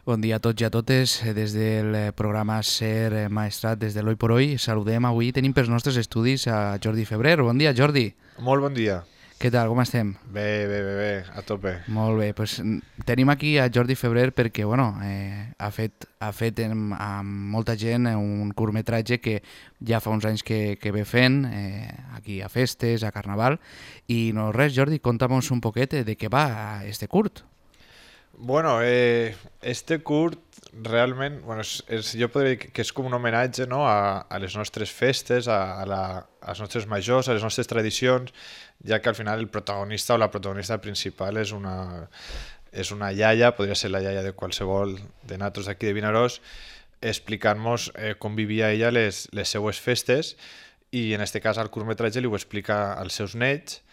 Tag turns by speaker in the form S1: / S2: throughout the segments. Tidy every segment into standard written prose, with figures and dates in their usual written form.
S1: Bon dia a tots i a totes. Des del programa Ser Maestrat, des de l'Hoy por Hoy, saludem avui. Tenim pels nostres estudis a Jordi Febrer. Bon dia, Jordi.
S2: Molt bon dia.
S1: Què tal, com estem?
S2: Bé, a tope.
S1: Molt bé, pues, tenim aquí a Jordi Febrer perquè ha fet amb molta gent un curtmetratge que ja fa uns anys que ve fent aquí a festes, a Carnaval. I no res, Jordi, conta'm un poquet de què va este curt.
S2: Bueno, este curt realment, jo podria dir que és com un homenatge, no? a les nostres festes, als nostres majors, a les nostres tradicions, ja que al final el protagonista o la protagonista principal és una iaia, podria ser la iaia de qualsevol de nosaltres d'aquí de Vinaròs, explicant-nos com vivia ella les seues festes, i en este cas el curtmetratge li ho explica als seus nets.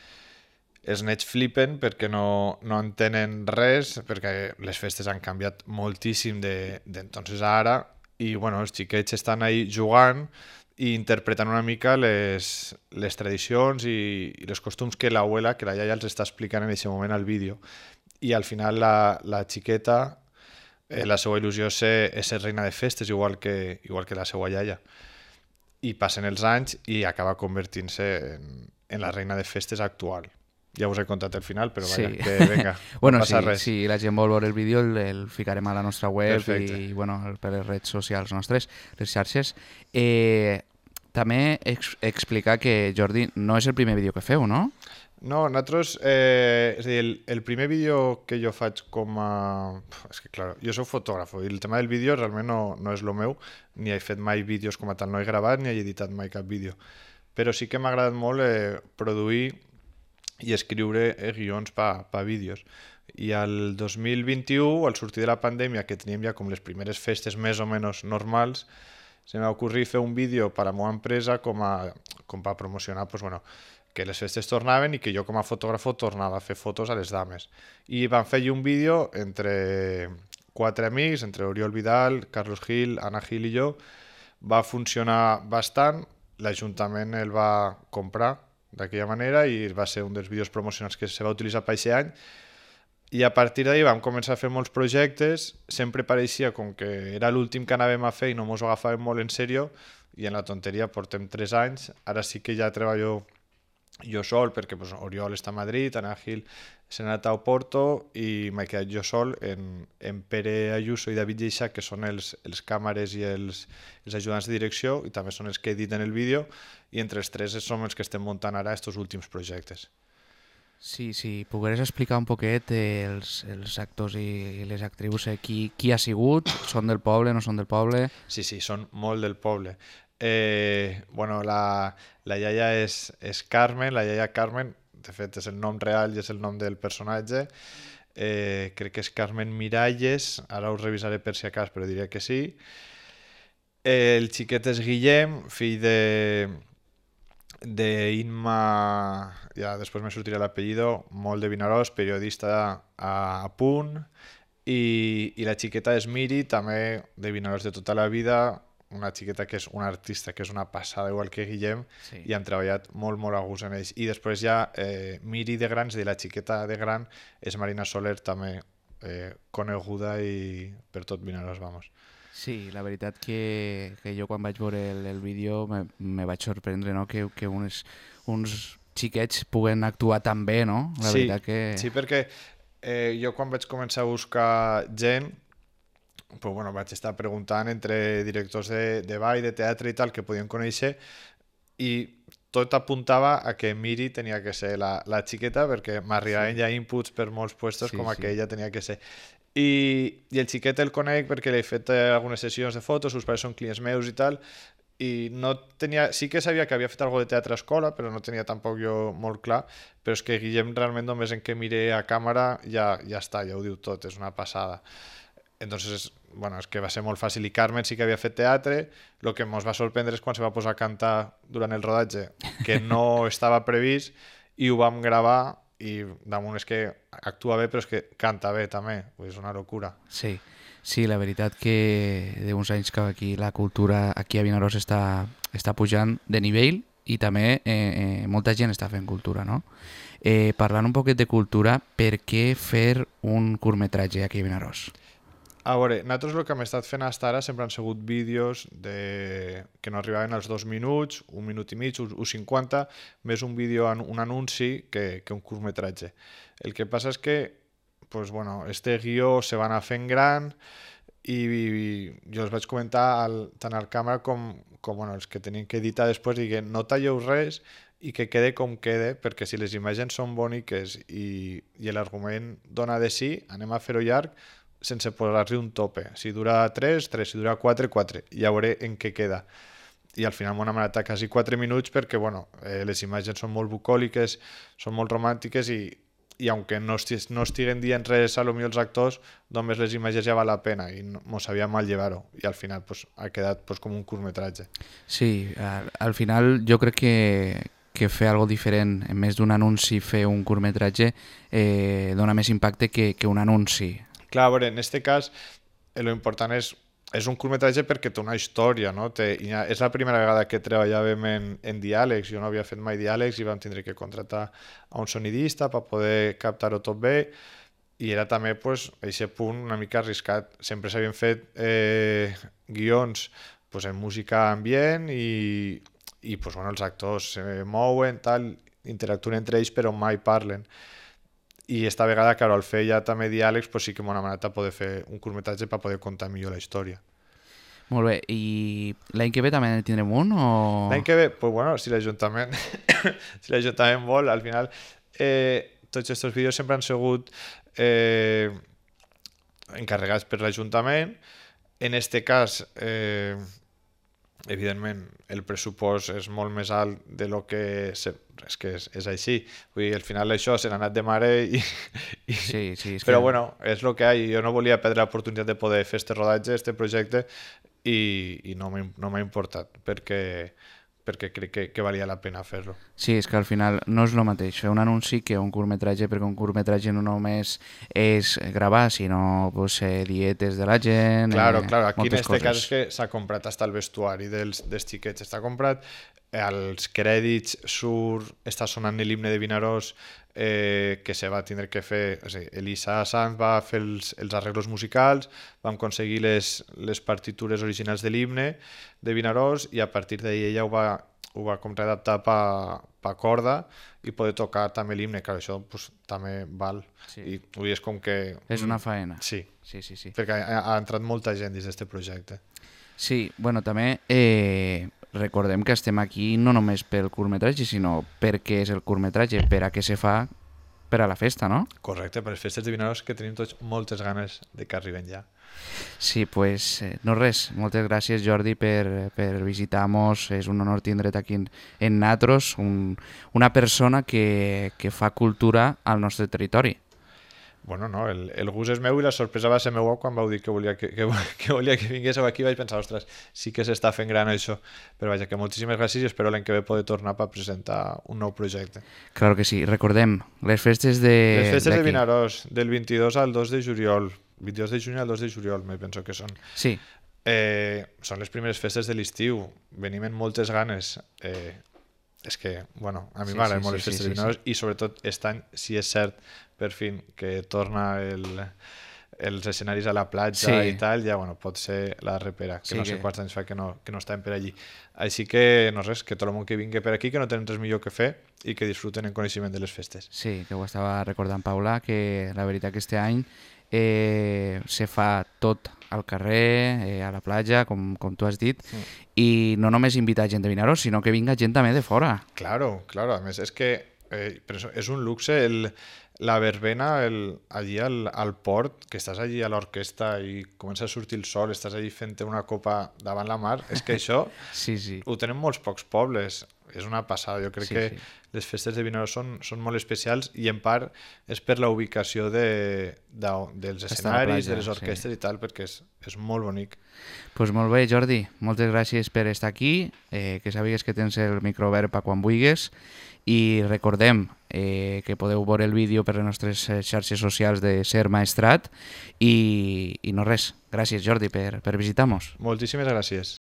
S2: Els nets flipen perquè no entenen res, perquè les festes han canviat moltíssim d'entonces a ara, i bueno, els xiquets estan ahí jugant i interpretant una mica les tradicions i els costums que l'abuela, que la iaia els està explicant en aquest moment al vídeo. I al final la xiqueta, la seva il·lusió és ser reina de festes, igual que la seva iaia. I passen els anys i acaba convertint-se en la reina de festes actual. Ja us he contat el final, però vaja,
S1: Sí.
S2: que vinga,
S1: Bueno,
S2: no passa
S1: sí,
S2: res.
S1: si la gent vol veure el vídeo el ficarem a la nostra web.
S2: Perfecte.
S1: I per les redes socials nostres, les xarxes. També explicar que, Jordi, no és el primer vídeo que feu, no?
S2: No, nosaltres, és a dir, el primer vídeo que jo faig com a... És que, clar, jo soc fotògraf i el tema del vídeo realment no és el meu, ni he fet mai vídeos com a tal, no he gravat ni he editat mai cap vídeo. Però sí que m'ha agradat molt produir i escriure guions pa vídeos. I al 2021, al sortir de la pandèmia, que teníem ja com les primeres festes més o menys normals, se m'ha ocorrit fer un vídeo per a la meva empresa com per promocionar que les festes tornaven i que jo com a fotògrafo tornava a fer fotos a les dames. I vam fer un vídeo entre 4 amics, entre Oriol Vidal, Carlos Gil, Anna Gil i jo. Va funcionar bastant, l'Ajuntament el va comprar d'aquella manera i va ser un dels vídeos promocionals que se va utilitzar per aquest any, i a partir d'ahir vam començar a fer molts projectes. Sempre pareixia com que era l'últim que anàvem a fer i no mos ho agafàvem molt en sèrio, i en la tonteria portem 3 anys. Ara sí que ja treballo jo sol, perquè Oriol està a Madrid, Ana Gil s'ha anat a Oporto i m'he quedat jo sol en Pere Ayuso i David Geixac, que són els càmeres i els ajudants de direcció, i també són els que editen el vídeo, i entre els tres som els que estem muntant ara estos últims projectes.
S1: Sí, pogueres explicar un poquet els actors i les actrius, qui ha sigut, són del poble, no són del poble?
S2: Sí, són molt del poble. La iaia és Carmen, la iaia Carmen, de fet és el nom real i és el nom del personatge. Crec que és Carmen Miralles, ara ho revisaré per si acas, però diria que sí. El xiquet és Guillem, fill d'Inma, ja després me sortirà l'apellido, molt de Vinaròs, periodista a Punt, i la xiqueta és Miri, també de Vinaròs de tota la vida, una xiqueta que és una artista, que és una passada, igual que Guillem, sí. I hem treballat molt a gust en ells. I després ja Miri de gran, és a dir, la xiqueta de gran, és Marina Soler, també coneguda i per tot Vinaròs, vamos.
S1: Sí, la veritat que jo quan vaig veure el vídeo me vaig sorprendre, no? que uns xiquets puguen actuar tan bé, no? La veritat que...
S2: Sí, perquè jo quan vaig començar a buscar gent, vaig estar preguntant entre directors de ball, de teatre i tal, que podien conèixer, i tot apuntava a que Miri tenia que ser la xiqueta, perquè m'arribaven ja inputs per molts puestos com a que ella tenia que ser. I el xiquet el conec perquè li he fet algunes sessions de fotos, els pares són clients meus i tal, i no tenia, sí que sabia que havia fet alguna de teatre a escola, però no tenia tampoc jo molt clar, però és que Guillem realment només en que mire a càmera ja està, ja ho diu tot, és una passada. Entonces, és que va ser molt fàcil. I Carmen sí que havia fet teatre. El que ens va sorprendre és quan se va posar a cantar durant el rodatge, que no estava previst, i ho vam gravar, i damunt és que actua bé, però és que canta bé també, és una locura.
S1: Sí, la veritat que d'uns anys que aquí la cultura aquí a Vinaròs està pujant de nivell, i també molta gent està fent cultura, no? Parlant un poquet de cultura, per què fer un curtmetratge aquí a Vinaròs?
S2: A veure, nosaltres el que hem estat fent fins ara sempre han sigut vídeos que no arribaven als 2 minuts, 1 minut i mig, 1,50, més un vídeo, un anunci que un curtmetratge. El que passa és que pues, bueno, este guió se va anar fent gran i jo els vaig comentar tant al càmera com bueno, els que tenien que editar després, i que no talleu res i que quede com quede, perquè si les imatges són boniques i l'argument dona de sí, anem a fer-ho llarg sense posar-li un tope. Si dura 3, 3, si dura 4, 4. Ja veuré en què queda. I al final m'ho hem anat a quasi 4 minuts perquè bueno, les imatges són molt bucòliques, són molt romàntiques i aunque no estiguen dient res a lo millor els actors, només les imatges ja val la pena i no sabia mal llevar-ho. I al final pues, ha quedat pues, com un curtmetratge.
S1: Sí, al final jo crec que fer algo diferent, en més d'un anunci, fer un curtmetratge dona més impacte que un anunci.
S2: Clar, a veure, en aquest cas, lo important és un curtmetratge perquè té una història, no? És la primera vegada que treballàvem en diàlegs, jo no havia fet mai diàlegs i vam tindre que contractar a un sonidista per poder captar-ho tot bé, i era també pues, aquest punt una mica arriscat. Sempre s'havien fet guions pues, en música ambient i pues, bueno, els actors se mouen, tal, interactuen entre ells però mai parlen. I esta vegada, claro, al fer ja també diàlegs, pues sí que m'ho hem anat a poder fer un curtmetratge per poder contar millor la història.
S1: Molt bé, i l'any que ve també en tindrem un? O...
S2: L'any que ve, pues bueno, si l'Ajuntament si l'Ajuntament vol, al final tots aquests vídeos sempre han sigut encarregats per l'Ajuntament. En este cas, evidentment, el pressupost és molt més alt de lo que... És que és així. Vull dir, al final això se n'ha anat de mare
S1: Sí, és
S2: però
S1: que...
S2: bueno, és el que hi ha. Jo no volia perdre l'oportunitat de poder fer este rodatge, este projecte, i no m'ha importat, perquè crec que valia la pena fer-lo.
S1: Sí, és que al final no és el mateix fer un anunci que un curtmetratge, perquè un curtmetratge no només és gravar, sinó pues, dietes de la gent...
S2: Claro, aquí en
S1: este
S2: cas és que s'ha comprat hasta el vestuari dels xiquets, està comprat, als crèdits està sonant l'himne de Vinaròs que se va tindre que fer, o sigui, Elisa Sanz va fer els arreglos musicals, vam aconseguir les partitures originals de l'himne de Vinaròs i a partir d'ahir ella ho va com readaptar per corda i poder tocar també l'himne, clar, això pues, també val.
S1: Sí.
S2: I avui és com que...
S1: És una faena.
S2: Sí,
S1: sí.
S2: perquè ha entrat molta gent dins d'aquest projecte.
S1: Sí, bueno, també recordem que estem aquí no només pel curtmetratge, sinó perquè és el curtmetratge, per a què se fa per a la festa, no?
S2: Correcte, per les festes de Vinaròs que tenim tots moltes ganes de que arriben ja.
S1: Sí, pues no res, moltes gràcies Jordi per visitar-nos, és un honor tindre't aquí en Natros, una persona que fa cultura al nostre territori.
S2: Bueno, no, el gust és meu i la sorpresa va ser meua quan vau dir que volia que vinguéssiu aquí. Vaig pensar, ostres, sí que s'està fent gran això. Però vaja, que moltíssimes gràcies i espero l'any que ve poder tornar per presentar un nou projecte.
S1: Claro que sí. Recordem, les festes de...
S2: Les festes de Vinaròs, del 22 al 2 de juliol. 22 de juny al 2 de juliol, me penso que són.
S1: Sí.
S2: Són les primeres festes de l'estiu. Venim amb moltes ganes. És que, bueno, a mi m'agraden molt les festes de Vinaròs i sobretot aquest any, si és cert, per fi, que torna els escenaris a la platja i tal, ja, bueno, pot ser la repera, que no sé quants anys fa que no estàvem per allí. Així que, no res, que tot el món que vingui per aquí, que no tenen res millor que fer i que disfruten en coneixement de les festes. Sí,
S1: que ho estava recordant Paula, que la veritat que este any se fa tot al carrer, a la platja, com tu has dit, i no només invitar gent de Vinaròs, sinó que vinga gent també de fora.
S2: Claro, a més és que és un luxe la verbena allí al port, que estàs allí a l'orquestra i comença a sortir el sol, estàs allí fent una copa davant la mar, és que això ho tenen molts pocs pobles, és una passada. Jo crec que les festes de Vinaròs són molt especials i en part és per la ubicació dels escenaris, de les orquestres i tal, perquè és molt bonic.
S1: Doncs molt bé, Jordi, moltes gràcies per estar aquí, que sàpigues que tens el micro obert per quan vulguis, i recordem que podeu veure el vídeo per les nostres xarxes socials de Ser Maestrat i no res, gràcies Jordi per visitar-nos.
S2: Moltíssimes gràcies.